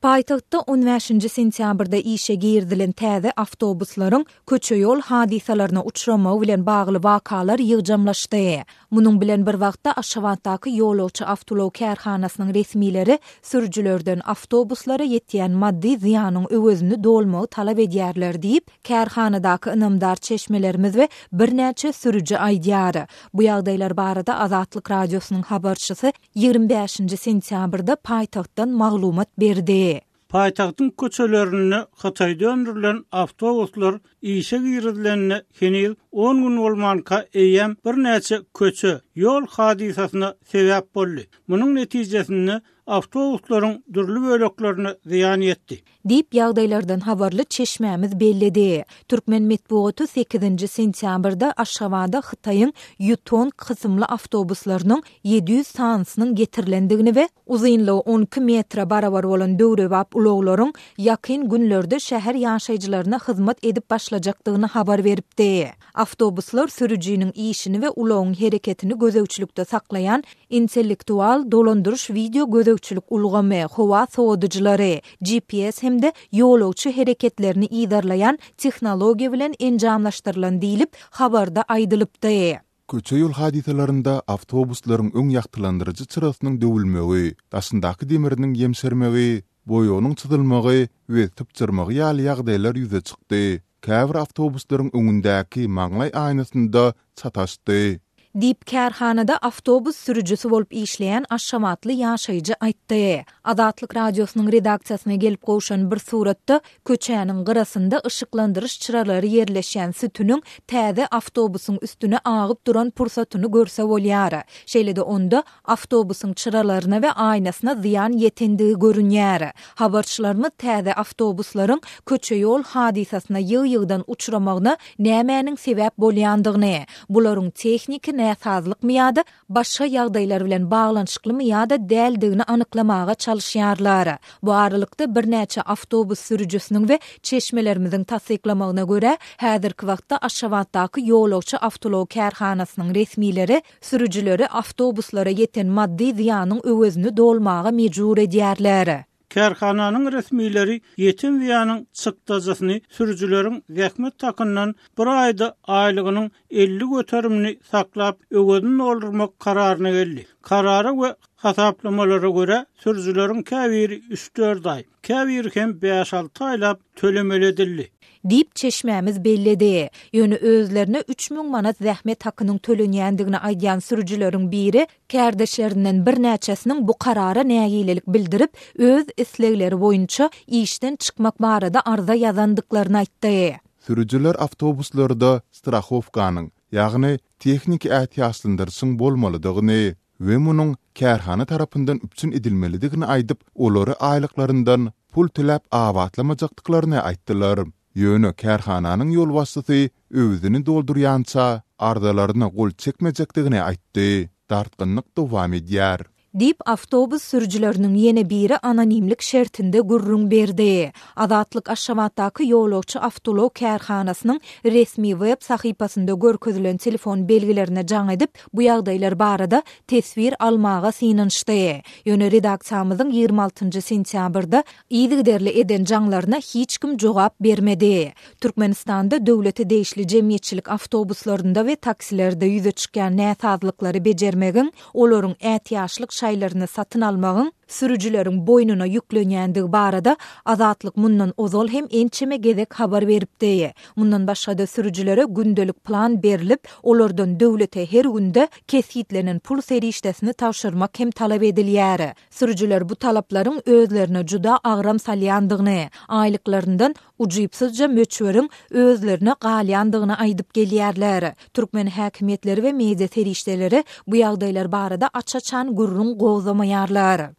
Paýtagtda on bäşinji sentýabrda işe girizilen täze awtobuslaryň köçe-ýol hadysalaryna uçramagy bilen bagly wakalar ýygjamlaşdy. Munuň bilen bir wagtda, Aşgabatdaky ýolagçy awtoulag kärhanasynyň resmileri sürüjilerden awtobuslara ýetýän maddy zyýanyň öwezini dolmagy talap edýärler diýip, kärhanadaky ynamdar çeşmelerimiz we birnäçe sürüji aýdýar. Bu ýagdaýlar barada Azatlyk Radiosynyň habarçysy 25-nji sentýabrda paýtagtdan maglumat berdi. Paýtagtyň köçelerinde Hytaýda öndürilen awtobuslar işe girizilenine heniz on gün bolmanka eýýäm birnäçe köçe, ýol hadysasyna sebäp boldy. Munuň netijesinde awtobuslaryň dürli böleklerine zyýan ýetdi. Diýip, ýagdaýlardan habarly çeşmämiz belledi. Türkmen metbugaty sekizinji sentýabrda Aşgabada Hytaýyň Ýutong kysymly awtobuslarynyň 700 sanysynyň getirilendigini we uzynlygy 12 metre barabar bolan döwrebap ulaglaryň ýakyn günlerde şäher ýaşaýjylaryna hyzmat edip başlajakdygyny habar beripdi. Awtobuslar sürüjiniň işini we ulagyň hereketini gözegçilikde saklaýan intellektual dolandyryş wideo gözegçilik ulgamy, howa sowadyjylary, GPS hem-de ýolagçy hereketlerini yzarlaýan tehnologiýa bilen enjamlaşdyrylan diýlip, habarda aýdylypdy. Köçe-ýol hadysalarynda awtobuslaryň öň ýagtylandyryjy çyrasynyň döwülmegi, daşyndaky demiriniň ýemşermegi, boýagynyň çyzylmagy we sypjyrmagy ýaly ýagdaýlar ýüze çykdy. Käbir awtobuslaryň öňündäki maňlaý aýnasynda çataşdy. Diýip, kärhanada awtobus sürüjisi bolup işleýän aşgabatly ýaşaýjy aýtdy. Azatlyk Radiosynyň redaksiýasyna gelip gowşan bir suratda köçäniň gyrasynda yşyklandyryş çyralary ýerleşýän sütüniň täze awtobusyň üstüne agyp duran pursatyny görse bolýar. Şeýle-de onda Awtobusyň çyralaryna we aýnasyna zyýan ýetendigi görünýär. Habarçylarymyz täze awtobuslaryň köçe-ýol hadysasyna ýygy-ýygydan uçramagyna nämäniň sebäp bolýandygyny, bularyň tehniki näsazlykmy ýa-da başga ýagdaýlar bilen baglanyşyklymy ýa-da däldigini anyklamaga çalyşýarlar. Bu aralykda, birnäçe awtobus sürüjisiniň we çeşmelerimiziň tassyklamagyna görä, häzirki wagtda Aşgabatdaky ýolagçy awtoulag kärhanasynyň resmileri Sürüjileri awtobuslara ýeten maddy zyýanyň öwezini dolmaga mejbur edýärler. Kärhananyň resmileri ýeten zyýanyň çykdajysyny sürüjileriň zähmet hakyndan bir aýda aýlygynyň 50 göterimini saklap, öwezini doldurmak kararyna geldi. Karara we hasaplamalara görä, sürüjileriň käbiri üç-dört aý, käbiri hem bäş-alty aýlap tölemeli edildi. Diýip, çeşmämiz belledi. Ýöne özlerine 3000 manat zähmet hakynyň tölenýändigini aýdýan sürüjileriň biri kärdeşlerinden birnäçesiniň bu karara nägilelik bildirip, öz islegleri boýunça işden çykmak barada arza ýazandyklaryny aýtdy. Sürüjiler awtobuslarda strahowkanyň, ýagny tehniki ätiýaçlandyryşyň bolmalydygyny we munuň kärhana tarapyndan üpjün edilmelidigini aýdyp, olary aýlyklaryndan pul töläp abatlamajakdyklaryny aýtdylar. Ýöne kärhananyň ýolbaşçysy öwezini doldurýança arzalaryna gol çekmejekdigini aýtdy. Dartgynlyk dowam edýär. Diýip, awtobus sürüjileriniň ýene biri anonimlik şertinde gürrüň berdi. Azatlyk Aşgabatdaky ýolagçy awtoulag kärhanasynyň resmi web sahypasynda görkezilen telefon belgilerine jaň edip, bu ýagdaýlar barada teswir almaga synanyşdy. Ýöne redaksiýamyzyň 26 sentýabrda yzygiderli eden jaňlaryna hiç kim jogap bermedi. Türkmenistanda döwlete degişli jemgyýetçilik awtobuslarynda we taksilerde ýüze çykýan näsazlyklary bejermegiň, olaryň ätiýaçlyk şaýlaryny satyn almagyň sürüjileriň boýnuna ýüklenýändigi barada Azatlyk mundan ozal hem ençeme gezek habar beripdi. Mundan başga-da sürüjilere gündelik plan berlip, olardan döwlete her günde kesgitlenen pul serişdesini tabşyrmak hem talap edilýär. Sürüjiler bu talaplaryň özlerine juda agram salýandygyny, aýlyklaryndan ujypsyzja möçberiň özlerine galýandygyny aýdyp gelýärler. Türkmen häkimiýetleri we media serişdeleri bu ýagdaýlar barada aç-açan gürrüň gozgamaýarlar.